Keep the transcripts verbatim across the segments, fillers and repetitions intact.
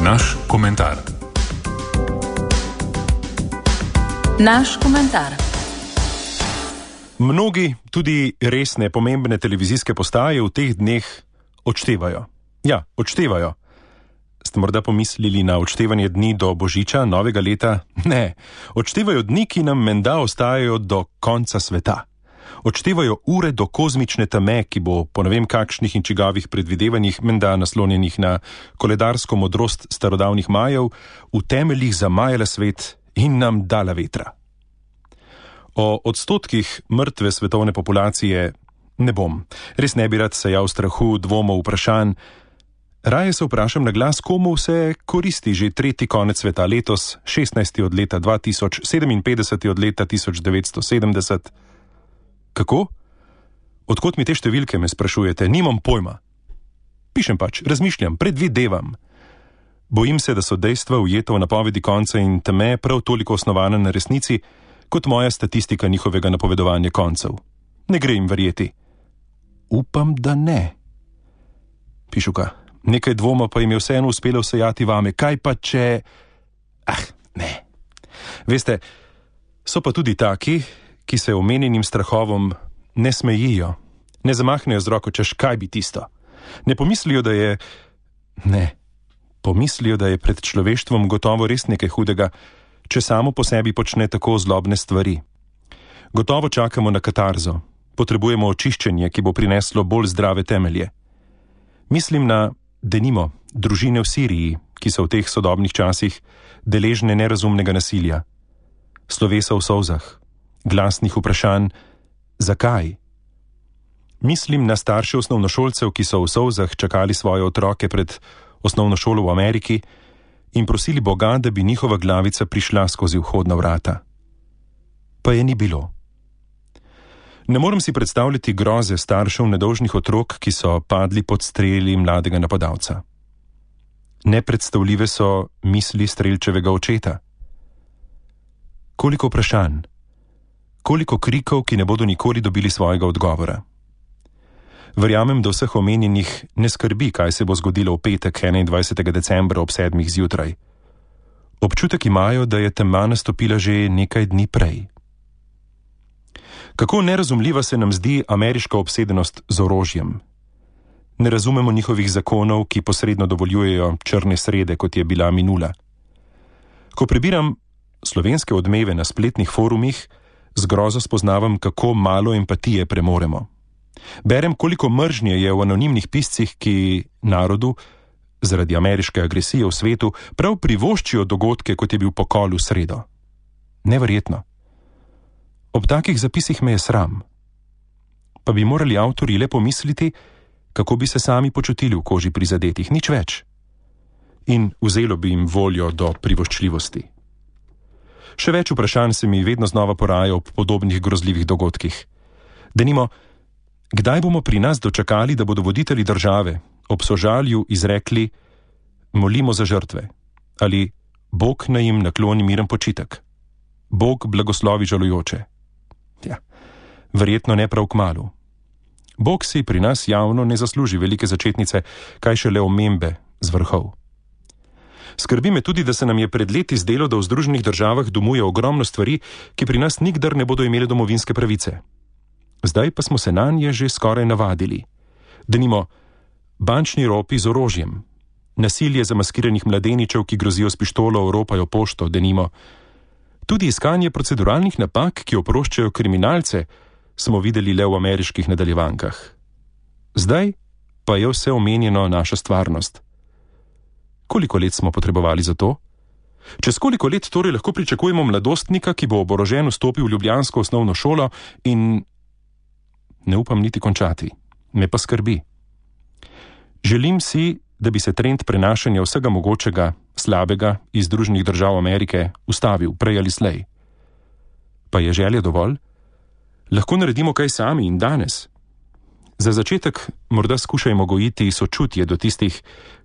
Naš komentar. Naš komentar. Mnogi, tudi resne, pomembne televizijske postaje v teh dneh odštevajo. Ja, odštevajo. Ste morda pomislili na odštevanje dni do Božiča, novega leta? Ne, odštevajo dni, ki nam menda ostajajo do konca sveta. Odštevajo ure do kozmične teme, ki bo po ne vem kakšnih in čigavih predvidevanjih menda naslonjenih na koledarsko modrost starodavnih Majev, v temeljih zamajala svet in nam dala vetra. O odstotkih mrtve svetovne populacije ne bom. Res ne bi rad sejal strahu, dvomov, vprašanj. Raje se vprašam na glas, komu vse koristi že tretji konec sveta letos, šestnajsti od leta dva tisoč, sedeminpetdeseti od leta tisoč devetsto sedemdeset. Kako? Odkot mi te številke, me sprašujete? Nimam pojma. Pišem pač, razmišljam, predvidevam. Bojim se, da so dejstva ujeta v napovedi konca in teme prav toliko osnovana na resnici, kot moja statistika njihovega napovedovanja koncev. Ne gre jim verjeti. Upam, da ne. Pišuka, nekaj dvoma pa jim je vseeno uspelo vsejati vame. Kaj pa če... Ah, ne. Veste, so pa tudi taki, ki se omenjenim strahovom ne smejijo, ne zamahnejo z roko, češ kaj bi tisto. Ne pomislijo, da je... Ne. Pomislijo, da je pred človeštvom gotovo res nekaj hudega, če samo po sebi počne tako zlobne stvari. Gotovo čakamo na katarzo. Potrebujemo očiščenje, ki bo prineslo bolj zdrave temelje. Mislim na, denimo, družine v Siriji, ki so v teh sodobnih časih deležne nerazumnega nasilja. Slovesa v solzah, glasnih vprašanj, zakaj? Mislim na starše osnovnošolcev, ki so v solzah čakali svoje otroke pred osnovno šolo v Ameriki in prosili Boga, da bi njihova glavica prišla skozi vhodna vrata. Pa je ni bilo. Ne morem si predstavljati groze staršev nedolžnih otrok, ki so padli pod streli mladega napadalca. Nepredstavljive so misli strelčevega očeta. Koliko vprašanj, koliko krikov, ki ne bodo nikoli dobili svojega odgovora. Verjamem, da vseh omenjenih ne skrbi, kaj se bo zgodilo v petek enaindvajsetega decembra ob sedmih zjutraj. Občutek imajo, da je tema nastopila že nekaj dni prej. Kako nerazumljiva se nam zdi ameriška obsedenost z orožjem. Ne razumemo njihovih zakonov, ki posredno dovoljujejo črne srede, kot je bila minula. Ko prebiram slovenske odmeve na spletnih forumih, z grozo spoznavam, kako malo empatije premoremo. Berem, koliko mržnje je v anonimnih piscih, ki narodu, zaradi ameriške agresije v svetu, prav privoščijo dogodke, kot je bil pokol v sredo. Neverjetno. Ob takih zapisih me je sram. Pa bi morali avtorji le pomisliti, kako bi se sami počutili v koži prizadetih, nič več. In vzelo bi jim voljo do privoščljivosti. Še več vprašanj se mi vedno znova poraja ob podobnih grozljivih dogodkih. Denimo, kdaj bomo pri nas dočakali, da bodo voditelji države ob sožalju izrekli molimo za žrtve ali Bog naj jim nakloni miren počitek, Bog blagoslovi žalujoče. Ja, verjetno ne prav kmalu. Bog si pri nas javno ne zasluži velike začetnice, kaj šele omembe z vrhov. Skrbi me tudi, da se nam je pred leti zdelo, da v Združenih državah domuje ogromno stvari, ki pri nas nikdar ne bodo imeli domovinske pravice. Zdaj pa smo se nanje že skoraj navadili. Denimo, bančni ropi z orožjem, nasilje zamaskiranih mladeničev, ki grozijo s pištolo, oropajo pošto, denimo. Tudi iskanje proceduralnih napak, ki oproščajo kriminalce, smo videli le v ameriških nadaljevankah. Zdaj pa je vse omenjeno naša stvarnost. Koliko let smo potrebovali za to? Čez koliko let torej lahko pričakujemo mladostnika, ki bo oborožen vstopil v ljubljansko osnovno šolo in... Ne upam niti končati. Me pa skrbi. Želim si, da bi se trend prenašanja vsega mogočega, slabega iz Združenih držav Amerike ustavil prej ali slej. Pa je želja dovolj? Lahko naredimo kaj sami in danes. Za začetek morda skušajmo gojiti sočutje do tistih,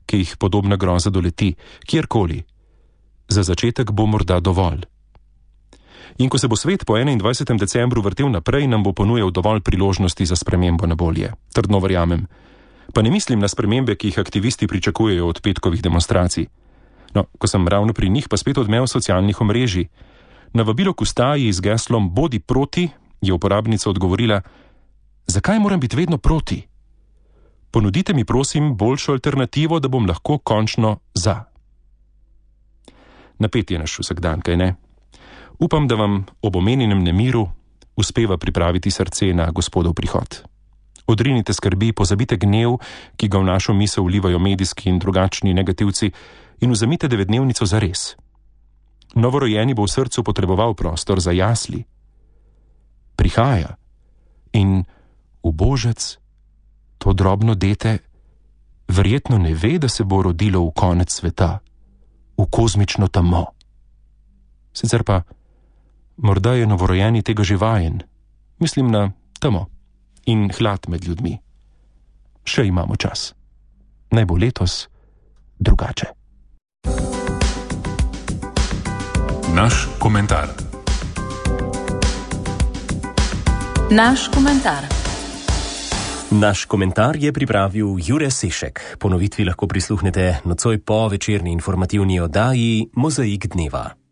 ki jih podobna groza doleti, kjerkoli. Za začetek bo morda dovolj. In ko se bo svet po enaindvajsetem decembru vrtel naprej, nam bo ponujal dovolj priložnosti za spremembo na bolje. Trdno verjamem. Pa ne mislim na spremembe, ki jih aktivisti pričakujejo od petkovih demonstracij. No, ko sem ravno pri njih, pa spet odmev socialnih omrežij. Na vabilo k ustaji z geslom Bodi proti je uporabnica odgovorila: Zakaj moram biti vedno proti? Ponudite mi prosim boljšo alternativo, da bom lahko končno za. Napet je naš vsakdan, kaj ne? Upam, da vam ob omenjenem nemiru uspeva pripraviti srce na Gospodov prihod. Odrinite skrbi, pozabite gnev, ki ga v našo misel vlivajo medijski in drugačni negativci, in vzemite devetdnevnico za res. Novorojeni bo v srcu potreboval prostor za jasli. Prihaja in ubožec, to drobno dete, verjetno ne ve, da se bo rodilo v konec sveta, v kozmično tamo. Sicer pa, morda je novorojeni tega že vajen, mislim na tamo in hlad med ljudmi. Še imamo čas. Naj bo letos drugače. Naš komentar. Naš komentar. Naš komentar je pripravil Jure Sešek. Ponovitvi lahko prisluhnete nocoj po večerni informativni oddaji Mozaik dneva.